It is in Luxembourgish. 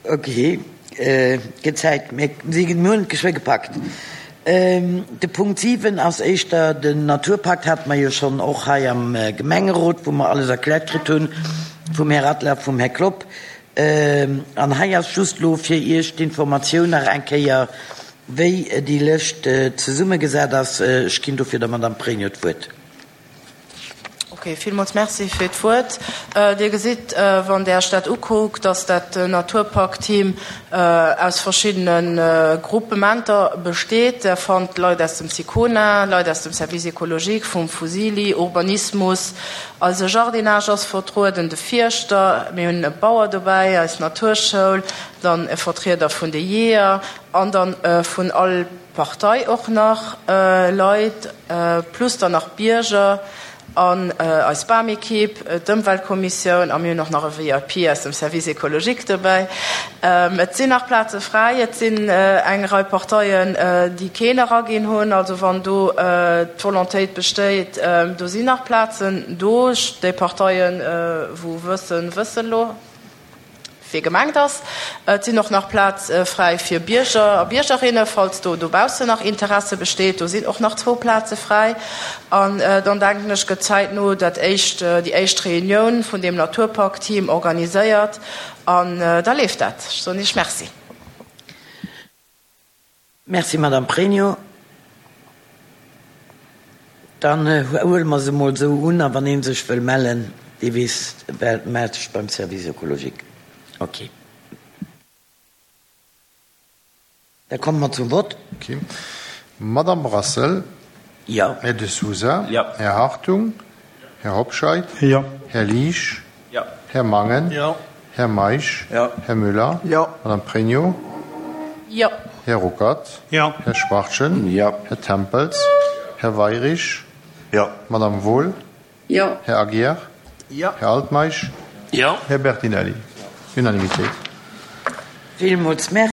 Ok, gëtt Zäit. Mir si mir hunn et geschwë gepackt. De Punkt 7 ass éischter den Naturpakt, hate mer jo schonn och hei am Gemengerot, wou mer alles erkläert kritt hunn vum Här Adler, vum Här Klopp. An hei ass just elo fir Iech d'Informatioun nach eng Kéier, wéi déi Lëscht zesummegesat ass. Ech ginn dofir der Madame Pregno d'Wuert. Ok, villmools Merci fir d'Wuert. Dir gesitt, wann Der Iech dat ukuckt, dass dat Naturpakt-Team aus verschiddene Gruppementer besteet. Der fannt Leit aus dem SICONA, Leit aus dem Service écologique, vum Fusili, Urbanismus, eise Jardinage ass vertrueden, de Fierschter, mir hunn e Bauer dobäi, eis Naturschoul, dann e Vertrieder vun de Jeeër an dann vun all Partei och nach Leit, plus dann nach Bierger an eis Bamekipp, d'Ëmweltkommissioun a mir hunn och nach e VIP aus dem Service écologique dobäi. Et sinn nach Plaze fräi, et sinn eng Rei Parteien, déi keen eraginn hunn. Also wann do d'Volontéit besteet, do sinn nach Plazen do. Déi Parteien, wou wëssen, wëssen elo. Wie gemengt ass. Et sinn och nach Plaze fräi fir Bierger a Biergerinne, falls do dobaussen nach Interesse besteet. Do sinn och nach zwou Plaze fräi. An dann denken ech, gëtt zäitno dat éischt, déi éischt Reunioun vun deem Naturpark-Team organiséiert an da leeft dat. Ech soen Iech Merci. Merci, Madame Pregno. Dann huele mer se emol esou un. A wann ee sech wëll mellen, dee weess, mellt sech beim Service écologique. Ok. Da komme mer zum Vott. Ok. Madame Brassel. Jo. Här De Sousa. Jo. Här Hartung. Här Hobscheit. Jo. Här Liesch. Jo. Här Mangen. Jo. Här Meisch. Jo. Här Müller. Jo. Madame Pregno. Jo. Här Ruckert. Jo. Här Schwachtgen. Jo. Här Tempels. Här Weirich. Jo. Madame Wohl. Jo. Här Aguiar. Jo. Här Altmeisch. Jo. Här Bertinelli. Unanimitéit. Villmools Merci.